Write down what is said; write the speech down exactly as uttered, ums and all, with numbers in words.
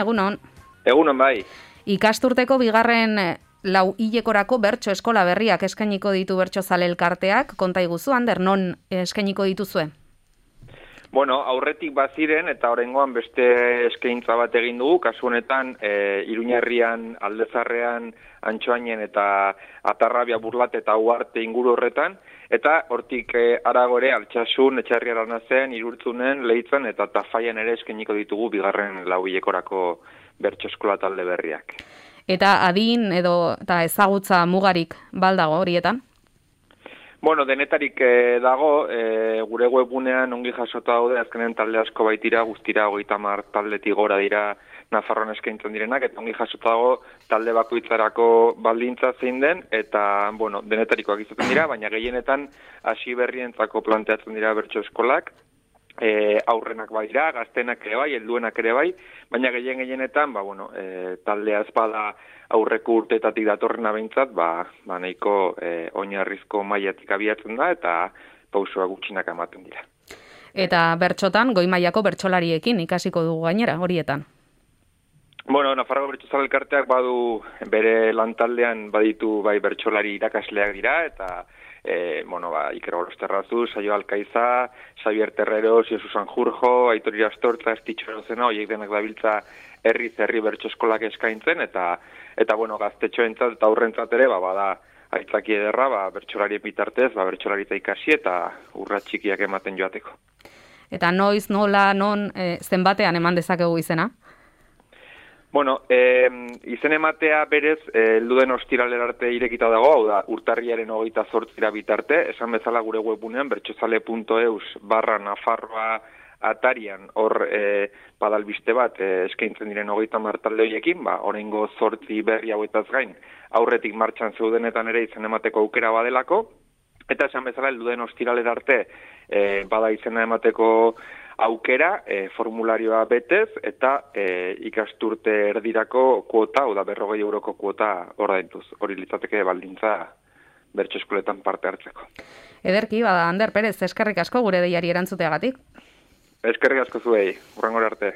Egunon. Egunon bai. Ikasturteko bigarren lau hilekorako bertso eskola berriak eskainiko ditu Bertsozale Elkarteak, konta iguzu, Ander, non eskainiko dituzue? Bueno, aurretik baziren eta oraingoan beste eskaintza bat egin dugu, kasu honetan e, Iruñerrian, Aldezarrean, Antxoainen eta Atarrabia, Burlat eta Uharte inguru horretan, eta hortik e, aragore Altsasun, Etxarri Aranazen, Irurtzunen, Leitzan eta Tafaian ere eskainiko ditugu bigarren lau hilekorako bertso eskola talde berriak. Eta adin edo eta ezagutza mugarik baldago horietan? Bueno, denetarik eh, dago, eh, gure webgunean ongi jasota daude, azkenen talde asko baitira, guztira hogeita hamar taldetik gora dira Nafarroan eskaintzen direnak, eta ongi jasota dago talde bakoitzarako baldintza zein den, eta, bueno, denetarikoak izaten dira, baina gehienetan hasi berrientzako planteatzen dira bertso eskolak, e, aurrenak bai dira, gaztenak ere bai, helduenak ere bai, baina gehien gehienetan, ba, bueno, e, taldea espada aurreko urteetatik datorrena behintzat, ba, ba nahiko e, oinarrizko mailatik abiatzen da, eta pausua gutxinak ematen dira. Eta bertsotan, goi mailako bertsolariekin ikasiko dugu gainera, horietan? Bueno, Nafarroko Bertsozale Elkarteak badu bere lantaldean baditu bai bertsolari irakasleak dira, eta e, bueno, ba, Iker Gorosterrazu, Saio Alkaiza, Xavier Terreros, Josu Sanjurjo, Aitor Irastortza, Estitxo Erozena, horiek denak dabiltza herri zerri bertso eskolak eskaintzen, eta eta bueno, gaztetxoentzat eta aurrentzat ere, ba, bada aitzaki ederra, ba, bertsolarien bitartez, ba, bertsolaritza ikasi eta urrats txikiak ematen joateko. Eta noiz, nola, non, e, zenbatean eman dezakegu izena? Bueno, e, izen ematea berez, helduden ostiralera arte irekita dago, hau da, urtarriaren hogeita zortzira bitarte, esan bezala gure webgunean, bertsozale puntu eus barra Nafarroa atarian, hor e, badalbiste bat e, eskaintzen diren hogeita hamar talde horiekin, ba, oraingo zortzi berri hauetaz gain, aurretik martxan zeudenetan ere izen emateko aukera badelako, eta esan bezala helduden ostiralera arte e, bada izena emateko aukera, e, formularioa betez, eta e, ikasturte erdirako kuota, oda berrogei euroko kuota ordainduz. Hori litzateke baldintza bertso eskoletan parte hartzeko. Ederki, bada, Ander Perez, eskerrik asko gure deiari erantzuteagatik. Eskerrik asko zuei, hurrengora arte.